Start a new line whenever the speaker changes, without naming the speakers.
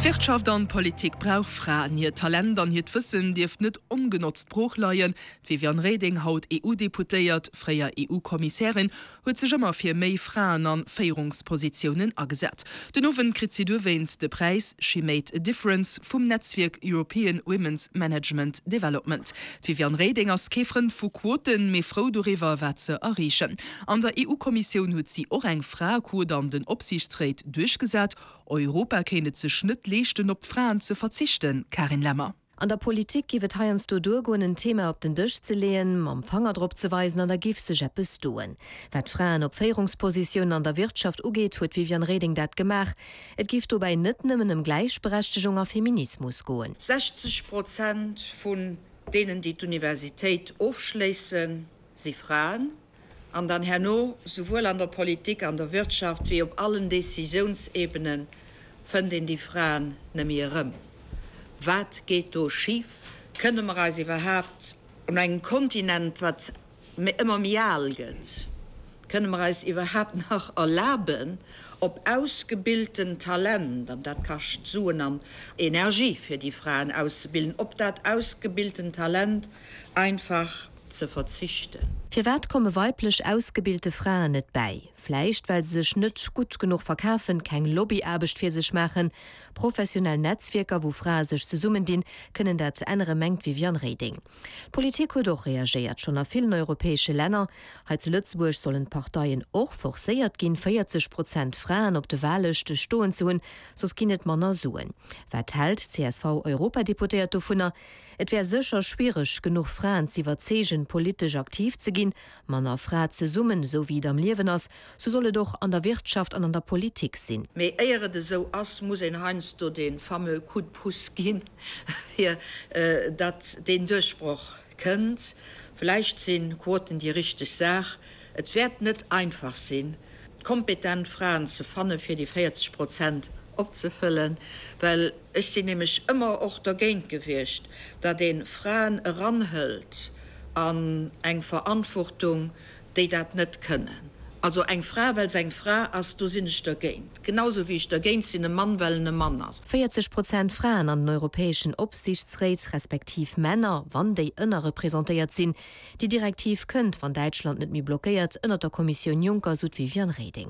D'Wirtschaft an d'Politik brauch Fraen. Hiert Talent an hiert Wëssen dierft net ongenotzt brooch leien. D'Viviane Reding, haut EU-Deputéiert, fréier EU-Kommissärin, huet sech ëmmer fir méi Fraen a Féierungspositiounen agesat. Den Owend kritt si dowéinst de Präis She Made a Difference vum Netzwierk European Women's Management Development. D'Viviane Reding ass kee Frënd vu Quoten, mee frou doriwwer, wat se erreechen. An der EU-Kommissioun huet si och eng Fraequot an den Opsiichtsréit duerchgesat. Europa kéint et sech net leeschten, op d'Fraen ze verzichten, Karin Lemmer.
An der Politik giff et heiansdo duergoen, en Thema op den Dësch ze leeën, mam Fanger drop ze weisen an da giff sech eppes doen. Wat Fraen op Féierungspositiounen an der Wirtschaft ugeet, huet d'Viviane Reding dat gemaach. Et giff dobäi net nëmmen ëm Gläichberechtegung a Feminismus goen.
60 Prozent vun deenen, déi d'Universitéit ofschléissen, si Fraen. An dann herno, souwuel an der Politik, an der Wirtschaft wéi op allen Décisiounsebenen, fënnt een déi Fraen nëmme erëm. Wat geet do schif? Kënne mer eis iwwerhaapt, un engem Kontinent, wat ëmmer méi al gëtt, kënne mer eis iwwerhaapt nach erlaben, op ausgebilten Talent, an dat kascht Suen an Energie, fir déi Fraen auszebilden, op dat ausgebilten Talent einfach ze verzichten.
Firwat komme weiblech ausgebilte Fraen net bäi? Vläicht well se sech net gutt genuch verkafen, keng Lobbyaarbecht fir sech maachen. Professionell Netzwierker, wou Frae sech zesummendinn, kënnen dat änneren, mengt d'Viviane Reding. D'Politik huet och reagéiert, schonn a villen europäesche Länner. Hei zu Lëtzebuerg sollen d'Parteien och forcéiert ginn, 40 Prozent Fraen op de Wahllëschte stoen ze hunn, soss ginn et manner Suen. Wat hält d'CSV-Europadeputéiert dovunner? Et wär sécher schwiereg, genuch Fraen z'iwwerzeegen, politesch aktiv ze ginn. Mann a Fra zesummen, esou wéi et am Liewen ass, sou soll et och an der Wirtschaft an an der Politik sinn.
Mee éier et esou ass, muss een heiansdo dee fameux coup de pouce ginn, fir datt deen Duerchbroch kënnt. Vläicht si Quoten déi richteg Saach. Et wäert net einfach sinn, kompetent Fraen ze fannen, fir déi 40 Prozent opzefëllen, well ech sinn nämlech ëmmer och dergéint gewiescht, datt ee Fraen eranhëlt an eng Verantwortung, déi dat net kënnen. Also eng Fra, well se eng Fra ass, do sinn ech dergéint. Genau esou wéi ech dergéint sinn, e Mann, well en e Mann ass.
40 Prozent Fraen an den europäeschen Opsiichtsréit, respektiv Männer, wann déi ënnerrepresentéiert sinn. Déi Direktiv kënnt, wann Däitschland net méi blockéiert, ënnert der Kommissioun Juncker, sou d'Viviane Reding.